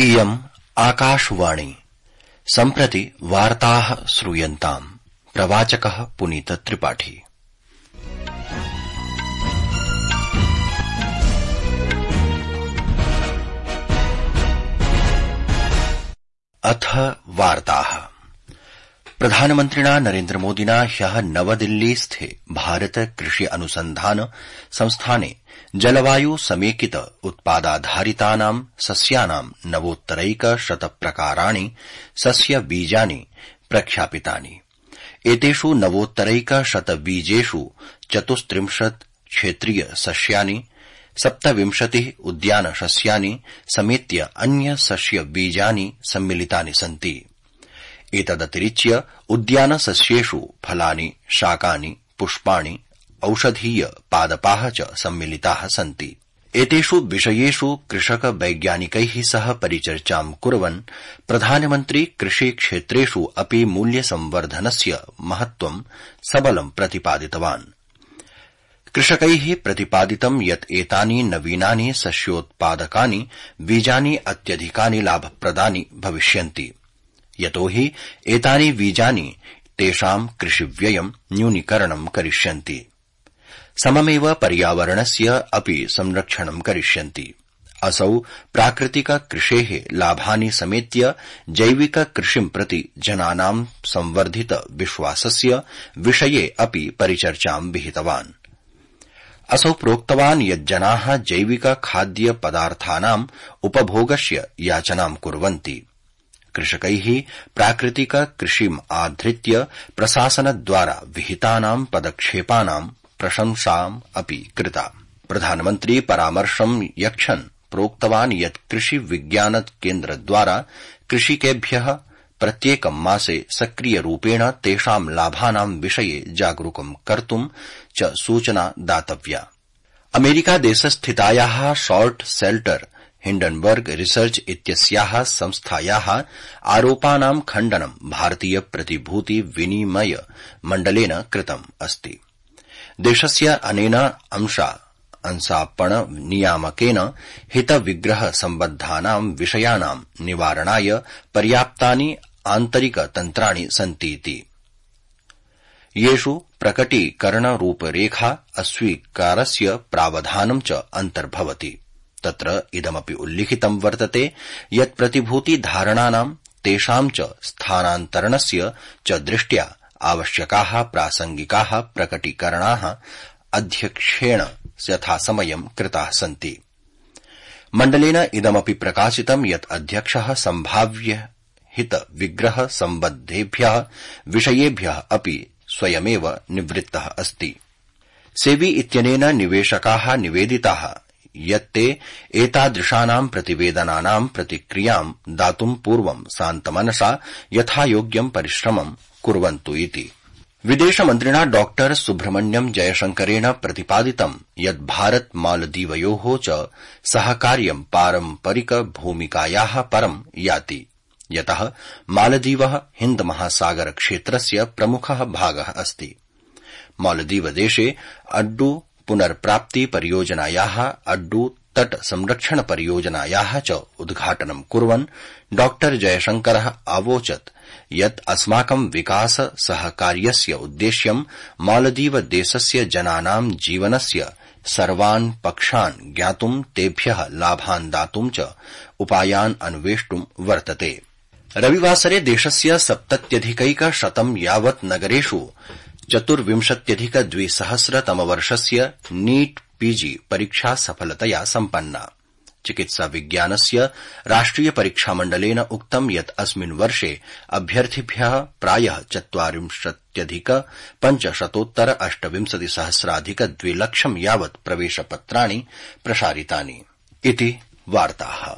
इयम् आकाशवाणी सम्प्रति वार्ताः श्रूयन्ताम्। प्रवाचकः पुनीत त्रिपाठी। अथ वार्ताः। प्रधानमन्त्रिणा नरेन्द्रमोदिना ह्यः नवदिल्लीस्थे भारत कृषि अनुसन्धान संस्थाने जलवायु समेकित उत्पादाधारितानां सस्यानां नवोत्तरैकशत प्रकाराणि सस्यबीजानि प्रख्यापितानि। एतेषु नवोत्तरैकशत बीजेषु 34 क्षेत्रीय सस्यानि, 27 उद्यान सस्यानि समेत्य अन्य सस्य बीजानि सम्मिलितानि सन्ति। एतदतिरिच्य उद्यान सस्येषु फलानि, शाकानि, पुष्पाणि, औषधीय पादपाः च सम्मिलिताः सन्ति। एतेषु विषयेषु कृषक वैज्ञानिकैः सह परिचर्चां कुर्वन् प्रधानमन्त्री कृषि क्षेत्रेषु अपि मूल्यसंवर्धनस्य महत्त्वं सबलं प्रतिपादितवान्। कृषकैः प्रतिपादितं यत् एतानि नवीनानि सस्योत्पादकानि बीजानि अत्यधिकानि लाभप्रदानि भविष्यन्ति, यतो हि एतानि बीजानि तेषां कृषिव्ययं न्यूनीकरणं करिष्यन्ति, सममेव पर्यावरणस्य अपि संरक्षणं करिष्यन्ति। असौ प्राकृतिक कृषेः लाभानि समेत्य जैविक कृषिं प्रति जनानां संवर्धित विश्वासस्य विषये अपि परिचर्चां विहितवान्। असौ प्रोक्तवान् यत् जनाः जैविक खाद्य पदार्थानाम् उपभोगस्य याचनां कुर्वन्ति। कृषकैः प्राकृतिक कृषिम् आधृत्य प्रशासनद्वारा विहितानां पदक्षेपानां प्रशंसाम् अपि कृता। प्रधानमन्त्री परामर्शं यच्छन् प्रोक्तवान् यत् कृषि विज्ञान केन्द्रद्वारा कृषिकेभ्यः प्रत्येकं मासे सक्रियरूपेण तेषां लाभानां विषये जागरूकं कर्तुं च सूचना दातव्या। अमेरिकादेशस्थितायाः शॉर्ट सेल्टर हिंडनबर्ग रिसर्च इत्यस्याः संस्थायाः आरोपानां खण्डनं भारतीय प्रतिभूति विनिमय मण्डलेन कृतम् अस्ति। देशस्य अनेन अंशापण नियामकेन हितविग्रह सम्बद्धानां विषयाणां निवारणाय पर्याप्तानि आन्तरिकतन्त्राणि सन्तीति, येषु प्रकटीकरणरूपरेखा अस्वीकारस्य प्रावधानं च अन्तर्भवति। तत्र इदमपि उल्लिखितं वर्तते यत् प्रतिभूतिधारणानां तेषां च स्थानान्तरणस्य च दृष्ट्या आवश्यकाः प्रासंगिकाः प्रकटीकरणाः अध्यक्षेण यथासमयं कृताः सन्ति। मण्डलेन इदमपि प्रकाशितं यत् अध्यक्षः सम्भाव्य हित विग्रह सम्बद्धेभ्यः विषयेभ्यः अपि स्वयमेव निवृत्तः अस्ति। सेबी इत्यनेन निवेशकाः निवेदिताः यत् ते एतादृशानां प्रतिवेदनानां प्रतिक्रियां दातुं पूर्वं शान्तमनसा यथायोग्यं परिश्रमं कुर्वन्तु इति। विदेशमन्त्रिणा डॉ सुब्रह्मण्यम जयशंकरेण प्रतिपादितं यत् भारत मालदीवयोः च सहकार्यं पारम्परिक भूमिकायाः परं याति, यतः मालदीवः हिन्द महासागर क्षेत्रस्य प्रमुखः भागः अस्ति। मालदीवदेशे अड्डु पुनर्प्राप्ति परियोजनायाः अड्डु तट संरक्षण परियोजनायाः च उद्घाटनं कुर्वन् डॉ जयशंकरः अवोचत् यत् अस्माकं विकास सहकार्यस्य उद्देश्यं मालदीवदेशस्य जनानां जीवनस्य सर्वान् पक्षान् ज्ञातुं तेभ्यः लाभान् दातुं च उपायान् अन्वेष्टुं वर्तते। रविवासरे देशस्य 70,100 यावत् नगरेषु 24,200 नीट पीजी परीक्षा सफलतया सम्पन्ना। चिकित्सा विज्ञानस्य राष्ट्रिय परीक्षामण्डलेन उक्तं यत् अस्मिन् वर्षे अभ्यर्थिभ्यः प्रायः 40,528,2 लक्षं यावत् प्रवेशपत्राणि प्रसारितानि इति वार्ताः।